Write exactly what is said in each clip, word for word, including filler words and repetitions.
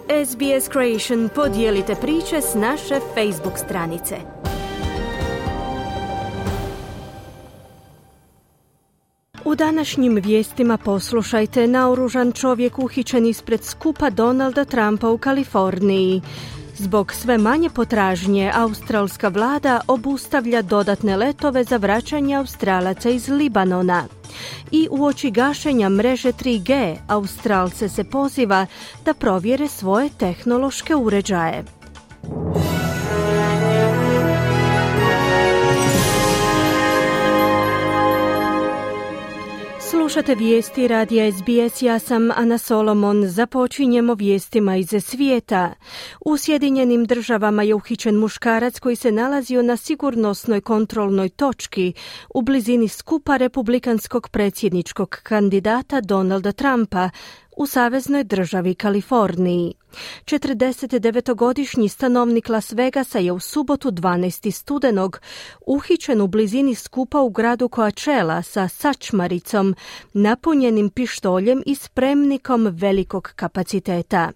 S B S Creation, podijelite priče s naše Facebook stranice. U današnjim vijestima poslušajte: naoružan čovjek uhićen ispred skupa Donalda Trumpa u Kaliforniji. Zbog sve manje potražnje, australska vlada obustavlja dodatne letove za vraćanje Australaca iz Libanona. I uoči gašenja mreže tri G, Australce se poziva da provjere svoje tehnološke uređaje. Slušate vijesti radija S B S, ja sam Ana Solomon. Započinjemo vijestima iz svijeta. U Sjedinjenim državama je uhićen muškarac koji se nalazio na sigurnosnoj kontrolnoj točki u blizini skupa republikanskog predsjedničkog kandidata Donalda Trumpa u saveznoj državi Kaliforniji. četrdesetdevetogodišnji stanovnik Las Vegasa je u subotu dvanaestog studenog uhićen u blizini skupa u gradu Coachella sa sačmaricom, napunjenim pištoljem i spremnikom velikog kapaciteta.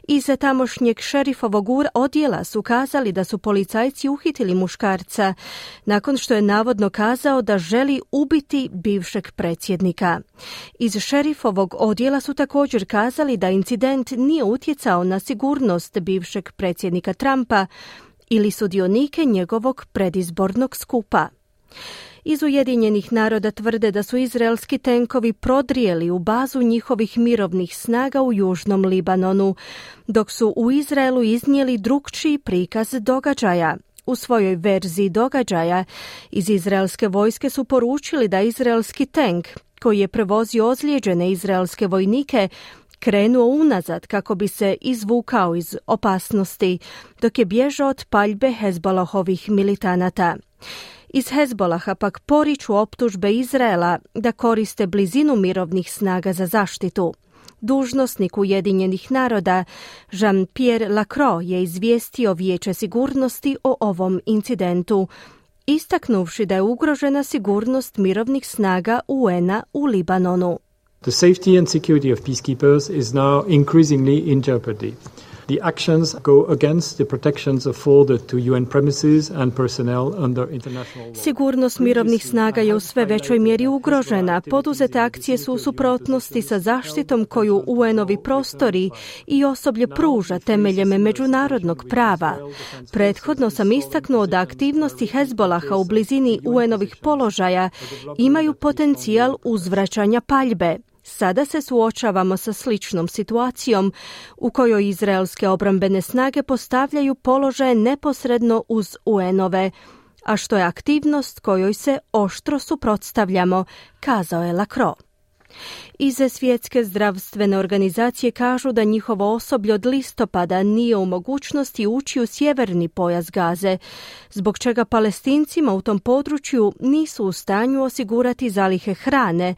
Iz tamošnjeg šerifovog odjela su kazali da su policajci uhitili muškarca nakon što je navodno kazao da želi ubiti bivšeg predsjednika. Iz šerifovog odjela su također kazali da incident nije utjecao na sigurnost bivšeg predsjednika Trumpa ili sudionike njegovog predizbornog skupa. Iz Ujedinjenih naroda tvrde da su izraelski tenkovi prodrijeli u bazu njihovih mirovnih snaga u južnom Libanonu, dok su u Izraelu iznijeli drukčiji prikaz događaja. U svojoj verziji događaja iz izraelske vojske su poručili da izraelski tenk, koji je prevozio ozlijeđene izraelske vojnike, krenuo unazad kako bi se izvukao iz opasnosti, dok je bježao od paljbe Hezbolahovih militanata. Iz Hezbolaha pak poriču optužbe Izraela da koriste blizinu mirovnih snaga za zaštitu. Dužnosnik Ujedinjenih naroda Jean-Pierre Lacroix je izvijestio Vijeće sigurnosti o ovom incidentu, istaknuvši da je ugrožena sigurnost mirovnih snaga U N-a u Libanonu. The safety and security of peacekeepers is now increasingly in jeopardy. The actions go against the protections afforded to U N premises and personnel under international law. Sigurnost mirovnih snaga je u sve većoj mjeri ugrožena. Poduzete akcije su u suprotnosti sa zaštitom koju U N-ovi prostori i osoblje pruža temeljem međunarodnog prava. Prethodno sam istaknuo da aktivnosti Hezbolaha u blizini U N-ovih položaja imaju potencijal uzvraćanja paljbe. Sada se suočavamo sa sličnom situacijom u kojoj izraelske obrambene snage postavljaju položaje neposredno uz U N-ove, a što je aktivnost kojoj se oštro suprotstavljamo, kazao je Lacroix. Iz Svjetske zdravstvene organizacije kažu da njihovo osoblje od listopada nije u mogućnosti ući u sjeverni pojas Gaze, zbog čega Palestincima u tom području nisu u stanju osigurati zalihe hrane,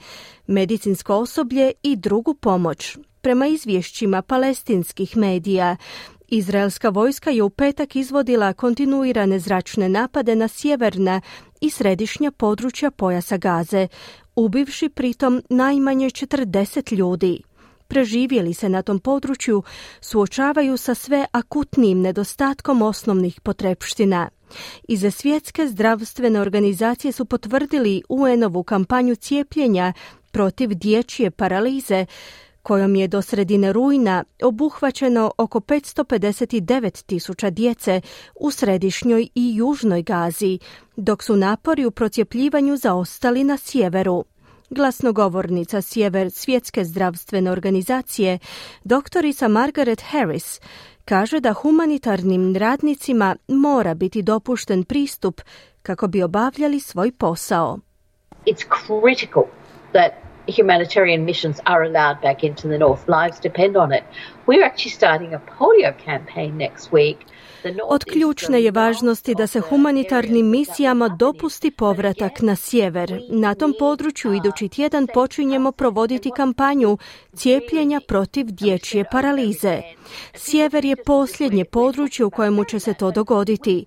medicinsko osoblje i drugu pomoć. Prema izvješćima palestinskih medija, izraelska vojska je u petak izvodila kontinuirane zračne napade na sjeverna i središnja područja pojasa Gaze, ubivši pritom najmanje četrdeset ljudi. Preživjeli se na tom području suočavaju sa sve akutnijim nedostatkom osnovnih potrepština. Iz Svjetske zdravstvene organizacije su potvrdili U N-ovu kampanju cijepljenja protiv dječje paralize, kojom je do sredine rujna obuhvaćeno oko petsto pedeset devet tisuća djece u središnjoj i južnoj Gazi, dok su napori u procijepljivanju zaostali na sjeveru. Glasnogovornica Sjever Svjetske zdravstvene organizacije, doktorica Margaret Harris, kaže da humanitarnim radnicima mora biti dopušten pristup kako bi obavljali svoj posao. It's critical that humanitarian missions are allowed back into the north. Lives depend on it. We're actually starting a polio campaign next week. Od ključne je važnosti da se humanitarnim misijama dopusti povratak na sjever. Na tom području idući tjedan počinjemo provoditi kampanju cijepljenja protiv dječje paralize. Sjever je posljednje područje u kojemu će se to dogoditi.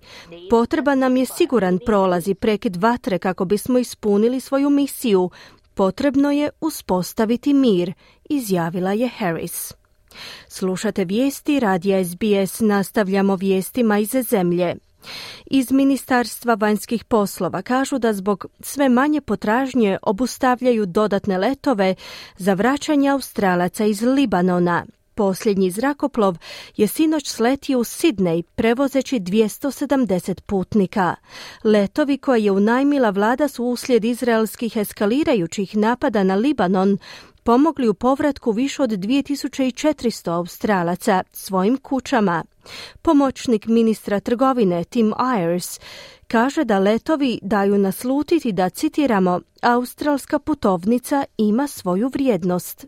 Potreban nam je siguran prolaz i prekid vatre kako bismo ispunili svoju misiju. Potrebno je uspostaviti mir, izjavila je Harris. Slušate vijesti radija S B S, nastavljamo vijestima iz zemlje. Iz Ministarstva vanjskih poslova kažu da zbog sve manje potražnje obustavljaju dodatne letove za vraćanje Australaca iz Libanona. Posljednji zrakoplov je sinoć sletio u Sidnej prevozeći dvjesto sedamdeset putnika. Letovi koje je unajmila vlada su uslijed izraelskih eskalirajućih napada na Libanon pomogli u povratku više od dvije tisuće četiristo Australaca svojim kućama. Pomoćnik ministra trgovine Tim Ayers kaže da letovi daju naslutiti da, citiramo, australska putovnica ima svoju vrijednost.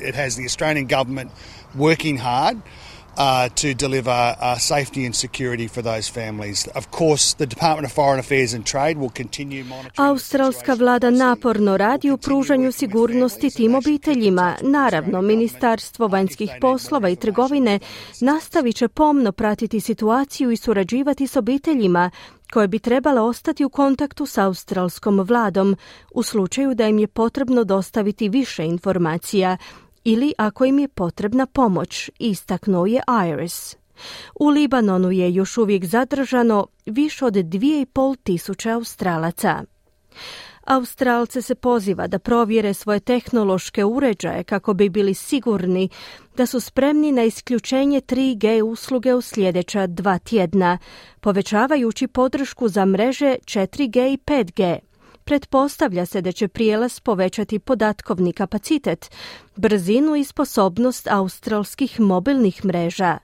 It has the Australian government working hard uh, to deliver uh, safety and security for those families. Of course, the Department of Foreign Affairs and Trade will continue monitoring. Australska vlada naporno radi u pružanju sigurnosti tim obiteljima. Naravno, Ministarstvo vanjskih poslova i trgovine nastavit će pomno pratiti situaciju i surađivati s obiteljima koje bi trebale ostati u kontaktu s australskom vladom u slučaju da im je potrebno dostaviti više informacija ili ako im je potrebna pomoć, istaknuo je Ayers. U Libanonu je još uvijek zadržano više od dvije i pol tisuće Australaca. Australce se poziva da provjere svoje tehnološke uređaje kako bi bili sigurni da su spremni na isključenje tri G usluge u sljedeća dva tjedna, povećavajući podršku za mreže četiri G i pet G. Pretpostavlja se da će prijelaz povećati podatkovni kapacitet, brzinu i sposobnost australskih mobilnih mreža.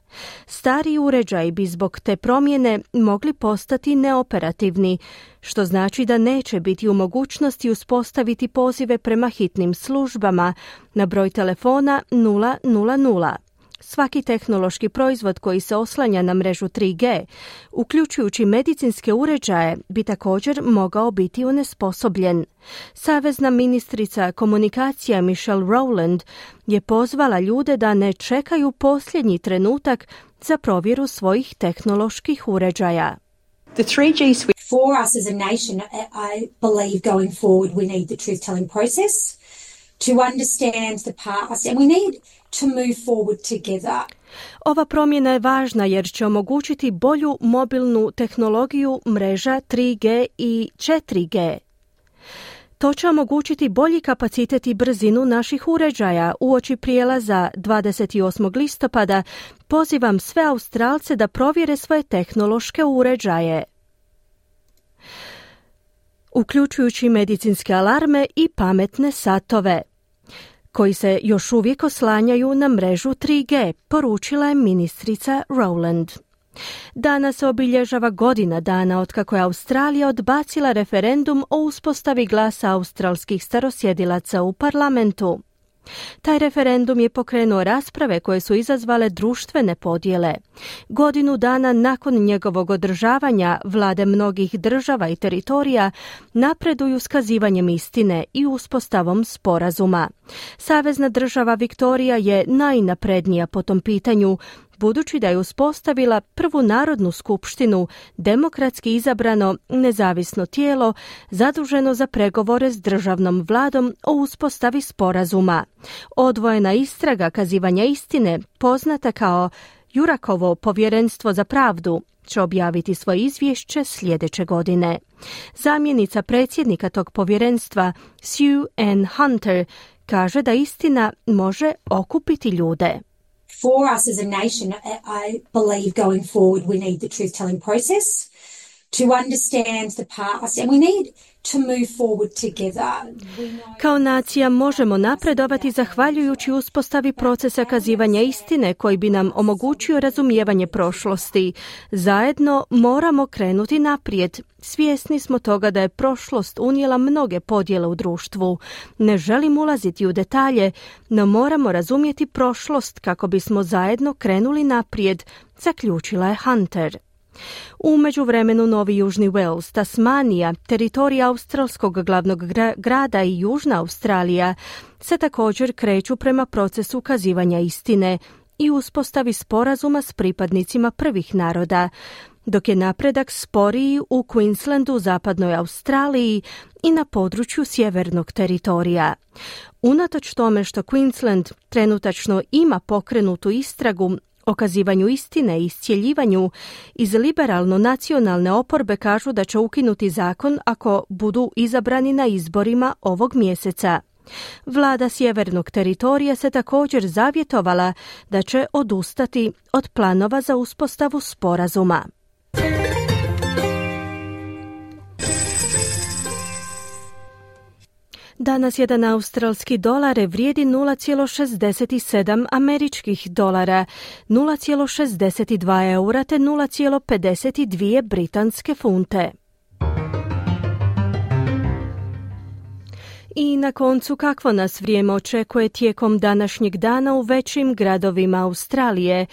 Stari uređaji bi zbog te promjene mogli postati neoperativni, što znači da neće biti u mogućnosti uspostaviti pozive prema hitnim službama na broj telefona nula nula nula. Svaki tehnološki proizvod koji se oslanja na mrežu tri G, uključujući medicinske uređaje, bi također mogao biti onesposobljen. Savezna ministrica komunikacija Michelle Rowland je pozvala ljude da ne čekaju posljednji trenutak za provjeru svojih tehnoloških uređaja. The three G switch for us as a nation, I believe going forward we need the truth-telling process to understand the past and we need to move forward together. Ova promjena je važna jer će omogućiti bolju mobilnu tehnologiju mreža tri G i četiri G. To će omogućiti bolji kapacitet i brzinu naših uređaja. Uoči prijelaza dvadeset osmog listopada pozivam sve Australce da provjere svoje tehnološke uređaje, uključujući medicinske alarme i pametne satove, koji se još uvijek oslanjaju na mrežu tri G, poručila je ministrica Rowland. Danas se obilježava godina dana otkako je Australija odbacila referendum o uspostavi glasa australskih starosjedilaca u parlamentu. Taj referendum je pokrenuo rasprave koje su izazvale društvene podjele. Godinu dana nakon njegovog održavanja, vlade mnogih država i teritorija napreduju s kazivanjem istine i uspostavom sporazuma. Savezna država Viktorija je najnaprednija po tom pitanju, budući da je uspostavila prvu narodnu skupštinu, demokratski izabrano nezavisno tijelo zaduženo za pregovore s državnom vladom o uspostavi sporazuma. Odvojena istraga kazivanja istine, poznata kao Jurakovo povjerenstvo za pravdu, će objaviti svoje izvješće sljedeće godine. Zamjenica predsjednika tog povjerenstva, Sue Ann Hunter, kaže da istina može okupiti ljude. For us as a nation, I believe going forward we need the truth-telling process to understand the past and we need to move forward together. Kao nacija možemo napredovati zahvaljujući uspostavi procesa kazivanja istine koji bi nam omogućio razumijevanje prošlosti. Zajedno moramo krenuti naprijed. Svjesni smo toga da je prošlost unijela mnoge podjele u društvu. Ne želim ulaziti u detalje, no moramo razumjeti prošlost kako bismo zajedno krenuli naprijed, zaključila je Hunter. U međuvremenu Novi Južni Wales, Tasmanija, teritorija australskog glavnog gra- grada i Južna Australija se također kreću prema procesu kazivanja istine i uspostavi sporazuma s pripadnicima prvih naroda. dok je napredak sporiji u Queenslandu, zapadnoj Australiji i na području sjevernog teritorija. Unatoč tome što Queensland trenutačno ima pokrenutu istragu o kazivanju istine i iscjeljivanju, iz liberalno-nacionalne oporbe kažu da će ukinuti zakon ako budu izabrani na izborima ovog mjeseca. Vlada sjevernog teritorija se također zavjetovala da će odustati od planova za uspostavu sporazuma. Danas jedan australski dolar vrijedi nula zarez šezdeset sedam američkih dolara, nula zarez šezdeset dva eura te nula zarez pedeset dvije britanske funte. I na koncu, kakvo nas vrijeme očekuje tijekom današnjeg dana u većim gradovima Australije?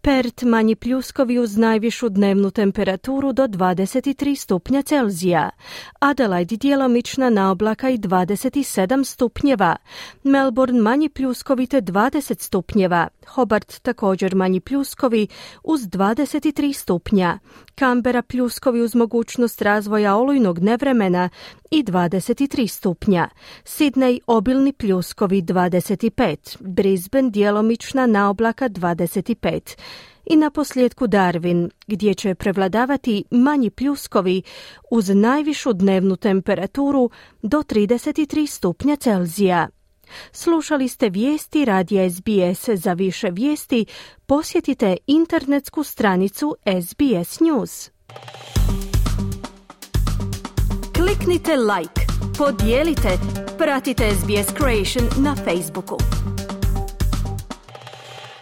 Perth manji pljuskovi uz najvišu dnevnu temperaturu do dvadeset tri stupnja Celzija. Adelaide djelomična naoblaka i dvadeset sedam stupnjeva. Melbourne manji pljuskovi te dvadeset stupnjeva. Hobart također manji pljuskovi uz dvadeset tri stupnja. Canberra pljuskovi uz mogućnost razvoja olujnog nevremena i dvadeset tri stupnja. Sydney obilni pljuskovi dvadeset pet. Brisbane djelomična naoblaka dvadeset pet. I na posljedku Darwin, gdje će prevladavati manji pljuskovi uz najvišu dnevnu temperaturu do trideset tri stupnja Celzija. Slušali ste vijesti radija S B S. Za više vijesti posjetite internetsku stranicu S B S News. Kliknite like, podijelite, pratite S B S Creation na Facebooku.